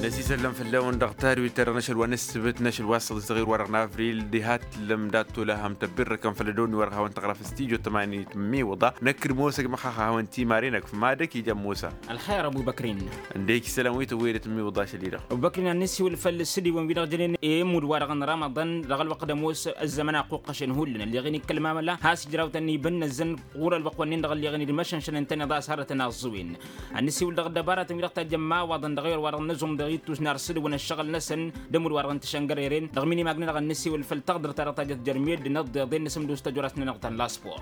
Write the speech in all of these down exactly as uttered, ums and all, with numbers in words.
Năsisăllăm făll-ewăn dăɣ-tadwit-ta-dăɣ n-ašăl wa n-ǝssǝbǝt n-ašăl wa s-săḍis dăɣ-irwa-dăɣ n-avril diha t-tǝllăm dat-tolăhăm tăbbirrăkăn făll-ădoni-wa-dăɣ hawăn-tăɣraf s-tijo tămani tǝmmiwǝḍa. Năkk d-mosăg măxxax a hawăn-timaren ăkf madăk ija n-mosa. Ălxer ăbubăkrin. Ǝndek isălan wi tăwwedăt tǝmmiwǝḍa ašăl-i-dăɣ. Ăbubăkrin ad-nǝssiwǝl făll-sǝdiwăn-wi-dăɣ jănen i-immud-wa-dăɣ n-ramăḍăn dăɣ-ălwăqq d-ămoos ăzzăman a ăqquqqăšen hullan ălleɣen ikkăl mamăla has-ijrawtăn ibǝnnăzzăn ɣur-ălwăqq-wăn-in-dăɣ ălleɣen d-imăšănšăn ǝntăneḍ a-s hărătăn aẓẓǝwen. Ad-nǝssiwǝl dăɣ-ăddăbaratăn wi-dăɣ tajjăn imawaḍăn dăɣ-ewăr wa-dăɣ n-aẓum dăɣ-ittus n-ar sǝdǝwăn ăššăɣǝl-năsăn d-ămudd-wa-dăɣ n-tišăngăreren dăɣ-minimagnen-dăɣ ad-nǝssiwǝl făll-taɣdărt-ta-dăɣ tajjăt jer-meddǝn ăḍḍeḍen n-asǝmdus tăjorasnen dăɣ-ta n-laspor.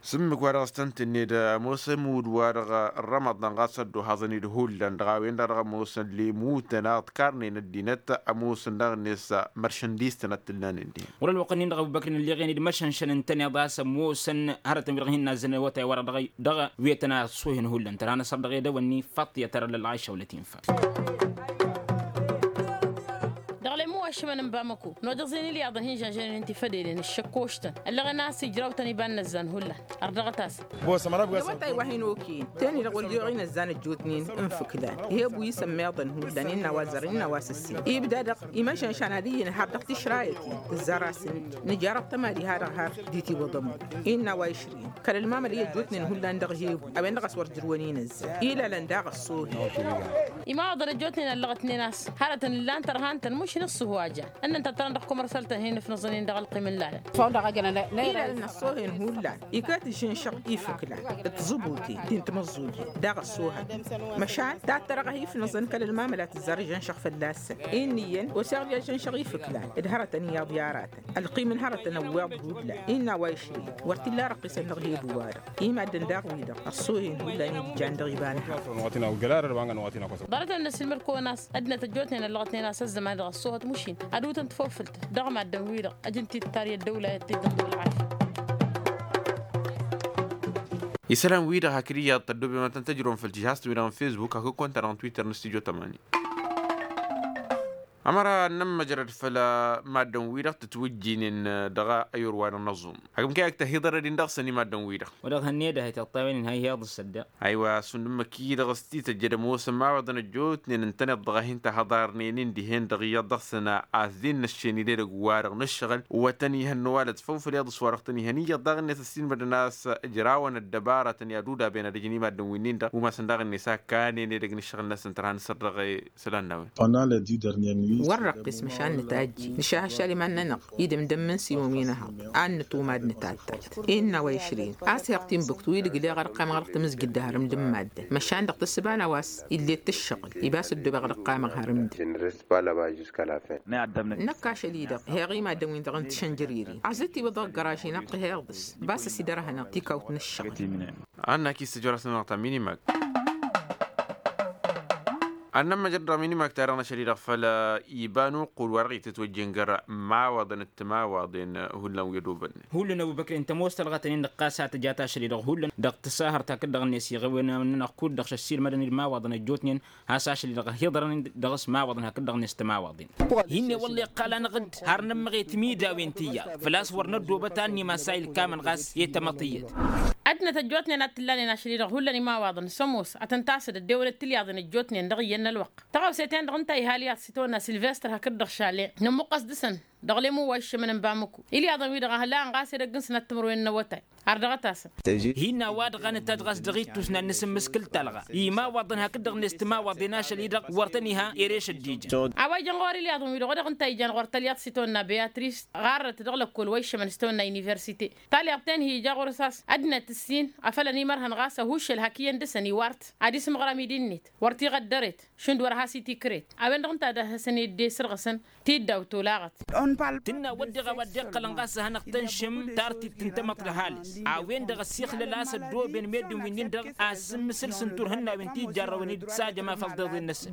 S-ǝmmǝk-wa-dăɣ s-tăn-tǝnned ămoos ămudd-wa-dăɣ n-rămăḍan ɣas ăddohaẓăn-dd hullan dăɣ-a-wen-dăɣ dăɣ-ămoosăn lemutăn a ǝḍkarnen ăddinăt ămoosăn daɣ-net măršăndistăn ad-t-ǝllanen dihen. Wăr-ălwăqq-nin-dăɣ ăbubăkrin ălleɣen-dd măšănšăn ǝntăneḍ a-s ămoosăn hărătăn wi-dăɣ hin-nazzăn awătay-wa-dăɣ dăɣ-wi ătănasuhen hullan tăra n-asăr dăɣ-edăwănni faṭṭiyăt arălăl ɣayša wălăt infa. Dăɣ-lemu wa ǝššǝmăn n-bamăko n-odăẓen ilyaḍăn hin-žănžănen n-tifădelen ǝššăkkoštăn ăllăɣen a-s ijrawtăn iba n-inăzzan hullan. Ărdăɣăt-asăn. N-awătay wa hin-okăyăn teni-dăɣ wăl-iɣ inăzzan ăjjootnen n-ifǝklan. Ih' ebu isămmeḍăn hullan innă a-wa zărăn innă a-wa s-ǝssin ibda-dăɣ imăšănšan ad-iyyăn har dăɣ-tišrayăt-in tǝzzar-asăn. Nǝjarăt tămad iha-dăɣ har dd-itiwǝḍăn innă a-wa išrǝyăn kăl-ălmamăl i-ăjjootnen hullan dăɣ-hebu a-wen-dăɣ a-s wăr jărwăn inăzzan ilalăn daɣ ăṣṣohen. Imawaḍăn ăjjootnen ăllăɣătnen a-s hărătăn ǝllan tărha ǝntăn mušin ǝṣṣǝhu a jan ǝnnăn tăttărăn dăɣ-kumărsăl-tăn hin-ǝfnǝẓăn-in dăɣ-ălqim n-ilalăn. Ilalăn ăṣṣohen hullan iket ǝžžǝnšăɣ ifǝklan d-tiẓǝbuten ti n-timǝẓẓujen daɣ ăṣṣohăn. Măšan tattărăɣ a hi-ifnǝẓăn kăl-ălmamăl a tǝzzar ǝžžǝnšăɣ fălla-săn. Innă iyyăn oseɣ-dd ăžžǝnšăɣ ifǝklan d-hărătăn iyyăḍ i-aratăn ălqim n-hărătăn ăwweḍ hullan innă a-wa išrǝyăn wăr t-illa arăqqisăn dăɣ-hebu-wa-dăɣ. Imaddǝn daɣ-wi-dăɣ ăṣṣohen hullan i-dd-jan dăɣ-iba n-hărăt. Ḍarăt-en ad-năsǝlmăd kăwăn-as ăddinăt ăjjootnen ăllăɣătnen a-s ăzzăman-i-dăɣ ăṣṣoohăt mušin ad-utăn tafăfǝlt dăɣ-maddǝn-wi-dăɣ ăjǝn-t-dd-tarǝy ăddăwla i-ăttijjăn dăɣ-ălɣašyăt. Isălan-wi-dăɣ hakd iyyăḍ tăddoobem ad-tăn-tăjrăwăm făll-tijhast-wi-dăɣ n-fesbuk hakd kăwăn-ta-dăɣ n-twitter n-stujo tămani. Ămăra ad-nămmăjrăd făll-maddǝn-wi-dăɣ tǝtwǝjjǝynen dăɣ-ayor-wa-dăɣ n-ăẓum hakd mǝkăy ad-tăhiḍărăd-in dăɣ-săn i-maddǝn-wi-dăɣ. Wa dăɣ-hănned a hi-tăṭṭawen-in ha ihi-iḍǝs ădda. Aywa šund ǝmmǝk-i-dăɣ s-tităjjăd ămoosăn imawaḍăn ăjjootnen ǝntăneḍ-dăɣ a hin-tahăḍarnen-in dihen-dăɣ iyyăḍ dăɣ-săn a-s dd-innăššen idedăgg-wa-dăɣ n-ǝššăɣǝl. Wa tăn-ihăn n-ăwalăt făw făll-iḍǝs wa dăɣ-tăn-ihăn iyyăḍ daɣ-net ăssiinmădăn a-s ǝjrawăn ăddăbaratăn i-ad-udaben ad-ǝjǝn i-maddǝn winnin-dăɣ umasăn daɣ-net a kanen edăgg n-ǝššăɣǝl-năsăn tărha n-asăr dăɣ-isălan n-a-wen. Wăr-răqq ismăšan nǝtajji nǝšah ašal iman-nănăɣ idǝm d-ămmǝn s-iwăn wi n-ehăḍ ad-nǝtumad nǝtattat. Innă a-wa išrin a-s heɣ tinbǝkt wi d-ǝgleɣ ărqamăɣ dăɣ-tamǝzjǝt d-aharǝm d-ǝmmaddăn măšan dăɣ-tǝssǝba n-a-wa s-ill'-e d-tǝššăɣǝl iba s-ăddoobeɣ ărqamăɣ harǝm-dd. Năkk ašăl-i-dăɣ heɣ i-maddǝn-win-dăɣ n-tišănjăririn a-s dd-tiwǝḍ ăgg-găraž-i n-ăqqǝh iḍǝs. Ba s-ăsidărhănăɣ tikawt n-ǝššăɣǝl. Ad-năkk-i s-tăjorasnănăɣ ta minimag. Ad-nămmăjrăd dăɣ-minimag-ta-dăɣ n-ašăl-i-dăɣ făll-iba n-uqqul wa dăɣ-itǝtwăjjen găr-imawaḍăn d-timawaḍen hullan wi ădobănnen. Hullan ăbubăkren tămoos talɣătăn-in-dăɣ ɣas a tǝjat ašăl-i-dăɣ hullan dăɣ-tǝsahăr ta kǝddăɣ-net iɣăwăn-nănăɣ kud-dăɣ šăssiilmădăn d-imawaḍăn ăjjootnen. Has-ašăl-i-dăɣ hiḍărăn dăɣ-s imawaḍăn hakd-dăɣ-net timawaḍen. Hinne wălla iqqal-anăɣ-dd har nămmăɣet imidawin tiyyăḍ făl-a-s wăr năddoobăt a n-imassayǝl kamăn ɣas i-tamăṭ iyyăt. Ăddinăt ăjjootnen a t-ǝllanen ašăl-i-dăɣ hullan imawaḍăn s-ămoos ad-tăn-tasăd ăddewălăt tilyaḍen ăjjootnen dăɣ-iyyăn n-ălwăqq tăɣawse-ten-dăɣ ǝnta a iha ălyaḍ s-itawănna silvestăr hakd-dăɣ šale. Nămmuqqăs dăɣ-săn dăɣ-lemu wa iššămăn n-bamăko ilyaḍăn-wi-dăɣ a hăla ănɣas edăgg-nǝsnăt timǝrwen n-awătay. Ar dăɣ-tasăn. Hinna wa-dăɣ a nǝtajj ɣas dăɣ-ittus n-ad-nǝsǝmmǝskǝl talɣa i-imawaḍăn hakd-dăɣ-net timawaḍen ašăl-i-dăɣ wăr tăn-iha ereš ăddijăn. A-wa ijăn ɣur-ilyaḍăn-wi-dăɣ wa dăɣ-ǝnta a ijan ɣur-tălyaḍt s-itawănna beyatrist ɣarrăt dăɣ-lăkkol wa iššămăn s-itawănna universite. Talyaḍt-en-hi ija ɣur-s a-s ăddinăt ǝssin afăl ănimărhăn ɣas ăhuššăl hak iyyăn dăɣ-săn iwar-t ad-isǝmɣăr amidi-net wăr t-iɣăddăret. Šund wăr has-itikret a-wen-dăɣ ǝnta ad-ăhhăsăn i-dd-esărɣăsăn tiddaw tolaɣăt. Tǝnna wădden a-wa dd-iqqălăn ɣas ad-hanăɣ-tănšǝm tartibt n-tamăḍt d-ăhalǝs a-wen-dăɣ ăssixlăl a-s ăddooben meddǝn wi-nin-dăɣ a ăssǝmmǝsǝl s-ǝntur ihănnawin ti ǝjjarrăwăn-dd s-ajăm afăl ḍeḍen-năsăn.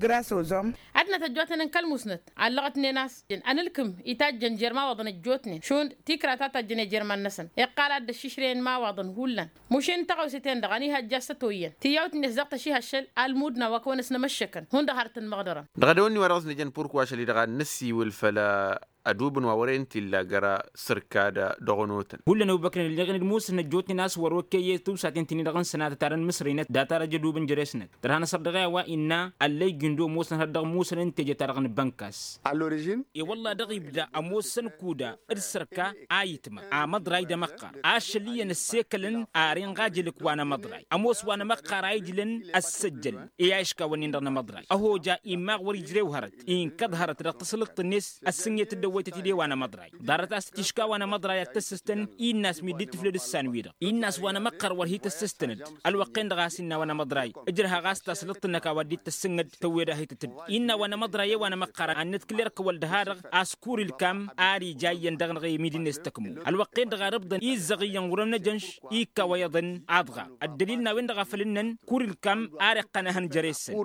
Ăddinăt ăjjootnen n-kăl-musnăt allăɣătnen a-s ănǝlkǝm itajjăn jer-imawaḍăn ăjjootnen šund tikra ta tajjăn i-jer-iman-năsăn iqqal ad-dd-ăššišrăyăn imawaḍăn hullan. Mušin tăɣawse-ten-dăɣ ănihăjja s-ătoyyăn tiyyawt-net daɣ tăših ašăl almud n-a-wa kăwăn-ăsnămăššăkăn hundăɣ har tăn-măɣdărăn. Dăɣ-edăwănni wa dăɣ-s nǝjăn purkwa ašăl-i-dăɣ ad-năssiwǝl făll-a ădubǝn wa wăren t-illa găra sărka d-dăɣ-onotăn. Hullan ăbubăkrăn ǝlleɣen d-musǝn ăjjootnen a-s wăr-okăyye tusaten-tǝnnin-dăɣ n-sănatăt ad-ănmǝsrăynăt data-dăɣ jădubǝn jere-snăt. Tărha n-asăr dăɣ-e-a-wa innă ăllăyjǝn d-omosăn hăr dăɣ-musăn n-teje-ta-dăɣ n-bănkas. E-wălla dăɣ-ibda ămoosăn kuda d-sărka a itma amăḍray d-amăqqar ašăl iyyăn ăssekălăn. Ar inɣajǝlǝk wa n-amăḍray ămoos wa n-amăqqar a ijlăn ăssăjjăl i-a iškawăn-in-dăɣ n-amăḍray ăhoja imaɣ wăr-ijrew hărăt inkăḍ hărăt dăɣ-tasǝlǝḍt-net. Ăssǝnget-dd ăwwăytăt-dd i-wa n-amăḍray ḍarăt a-s t-iška wa n-amăḍray ad-tăssǝstăn. Innă a-s mi dd-tiflăd ǝssan-wi-dăɣ innă a-s wa n-amăqqar wăr hi-tăssǝstăn-dd. Ălwăqq-en-dăɣ a-s innă wa n-amăḍray ǝjrăhăɣ a-s tasǝlǝḍt-năk a-wa dd-tăssǝngăd tăwwed-ahităt-dd. Innă wa n-amăḍray i-wa n-amăqqar ad-nǝtkǝl irkăwăl d-ha-dăɣ a-s kur ilkam ar ija iyyăn dăɣ-năɣ i-midi-net tăkmo. Ălwăqq-en-dăɣ ar ǝbḍăn izzăɣ iyyăn wăr-ămnăjănš ikka wa iyyăḍăn. Aḍɣa ăddălil n-a-wen-dăɣ a făl ǝnnăn kur ilkam ar iqqăn ehăn jere-săn.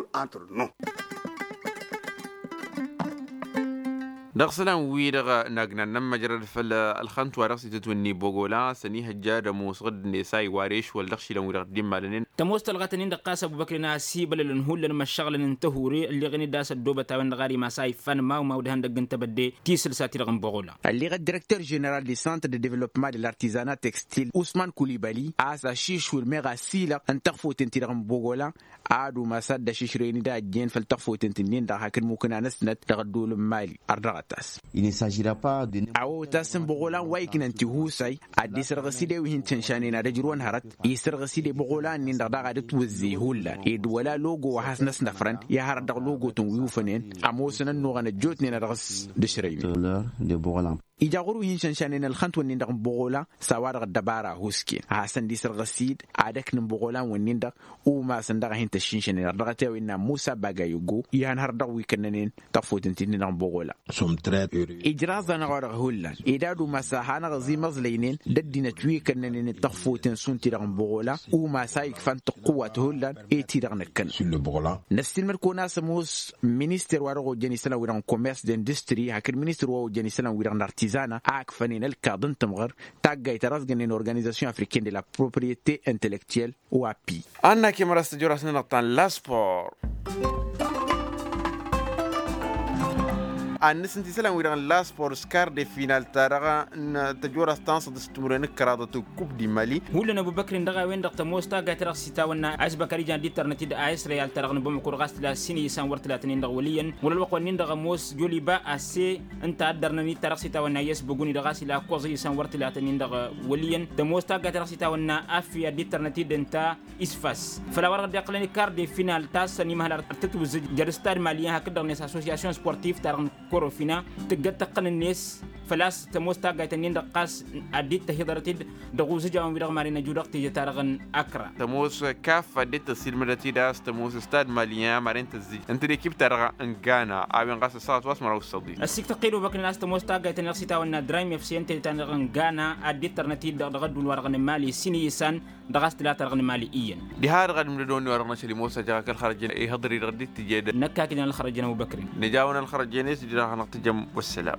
Dăɣ-isălan-wi-dăɣ nagnan n-ămmăjrăd făll-ălxănt wa dăɣ-s itǝtwǝnni bogola s-ănihăjja d-ămoos ɣǝdd-net a iwar ešwăl dăɣ-išilan-wi-dăɣ dd-immalănen. Tămoos tălɣătăn-in-dăɣ ɣas ăbubăkri n-asibălălăn hullan măššăɣlăn n-tăhure ălleɣen-dd a-s ăddoobăt a-wen-dăɣ ar imas a iffan mawmaw d-ihăndăgg n-tebădde. Tisǝlsat-i-dăɣ n-bogola. Ălleɣ ăddirekter ženeral de centre de developpement de l'artizana textil usman kulibali a-s ašišwǝl meɣ asilăɣ n-tăɣfoten-ti-dăɣ n-bogola. Ad-umas ad-dd-ašǝšrăyăn-dd a ăjjeen făll-tăɣfoten-tǝnnin-dăɣ hakd mukǝna-năsnăt dăɣ-ădduul n-mali. Ărdăɣăt-as. Awăwăt-as n-băɣolan wa iknăn tihusay ad-dd-isărɣǝs-dd i-wi hin-tǝnšanen ad-ăjrǝwăn hărăt. Isărɣǝs-dd i-băɣolan-nin-dăɣ daɣ ad-ǝtwǝzzǝy hullan ed wăla logo wa has-năsnăfrăn i-ad-hărăt dăɣ-logo-tăn wi ufănen. Ămoosăn ănnuɣăn ăjjootnen ad-dăɣ-s dd-ašrăynen. Ija ɣur-wi hin-šănšanen ălxănt-wǝnnin-dăɣ n-boɣola s-a-wa-dăɣ ăddăbara ăhuusken a hasăn-dd-isărɣǝs-dd ad-ăknǝn boɣolan-wǝnnin-dăɣ. Umasăn daɣ a hin-tăššinšănen ărdăɣăt i-a-wa innă musa bagayogo ihăn hărăt dăɣ-wi kănnănen. Tăɣfotǝn-t-dd-inăɣ n-boɣola. Ijraẓ-anăɣ-wa-dăɣ hullan ed ad-umas a hanăɣ-ăẓimăẓlăynen d-ăddinăt wi kănnănen d-tăɣfotǝn šund-ti-dăɣ n-boɣola. Umas a ikfan tăqqǝwwat hullan. E-ti-dăɣ năkkănăn. Năssiilmăd-kăwăn a-s ămoos minister wa dăɣ-ojjăn isălan-wi-dăɣ n-komers d-industri hakd minister wa ojjăn isălan-wi-dăɣ n-artizana a ǝkfănen ălkaḍ n-tǝmɣăr. Taggayt ta dăɣ-s gănnen organizasyon africaine de la propriete intellectuelle. Oapi. Anna kemăra s-tăjora s-nănăɣ ta n-laspor. Ad-nǝsǝnt isălan-wi-dăɣ n-laspor s-kar de final-ta-dăɣ n-tăjora s-tanṣăḍ s-timǝrwen ǝkkăraḍăt n-kub di mali. Hullan ăbubăkrin dăɣ-a-wen-dăɣ tămoos taggayt ta dăɣ-s itawănna a isbăkăr ijan d-ittărnăt-dd a isrăyal ta-dăɣ n-bamăkur ɣas tǝla s-inǝyǝsan wăr tǝlatăn-in-dăɣ wăl' iyyăn wăla ălwăqq-wa-nin-dăɣ ămoos joliba a-s e ǝnta a dd-ărnăn-dd ta dăɣ-s itawănna i-asbăguni-dăɣ a-s ila ăkkoẓ iyyǝsan wăr tǝlatăn-in-dăɣ wăl' iyyăn. Tămoos taggayt ta dăɣ-s itawănna affi ad-dd-ittărnăt-dd ǝnta isfas făll-a-wa-dăɣ dd-iqqălăn ikar de final ta s-ănimăhăl ar tǝtwǝzzǝj jer-stad maliyăn hakd-dăɣ-net assosyasyon sportiv ta dăɣ-n korofina tǝggăt tăqqăn-net. Făl-a-s tămoos taggayt-nin-dăɣ ɣas ad-dd-tăhiḍărăt-dd dăɣ-uzǝjawăn-wi-dăɣ maren ăju dăɣ-teje-ta-dăɣ n-akra. Tămoos kaf ad-dd-tăssilmădăt-dd a-s tămoos stad maliyăn maren tăzzij ǝnta d-ekip-ta-dăɣ n-gana a-wen ɣas ăssaɣăt wa s-măraw s-săḍi. Ăssiktăqqed obăknen a-s tămoos taggayt-nin-dăɣ s-itawănna draym efse ǝnta d-ta-dăɣ n-gana ad-dd-tărnăt-dd dăɣ-ădduul-wa-dăɣ n-mali s-inǝyǝsan dăɣ-a-s tǝla ta-dăɣ n-mali iyyăn. Diha-dăɣ ad-imdădăwăn i-wa-dăɣ n-ašăl imoos ajăɣ-ak ălxărăjăn ihăḍăr-i-dăɣ dd-tǝjed. Năkk a kǝjăn ălxărăjăn ăbubăkrin. Nǝja-wăn ălxărăjăn-e-s ǝjraɣ-anăɣ tǝjăm. Wăssălam.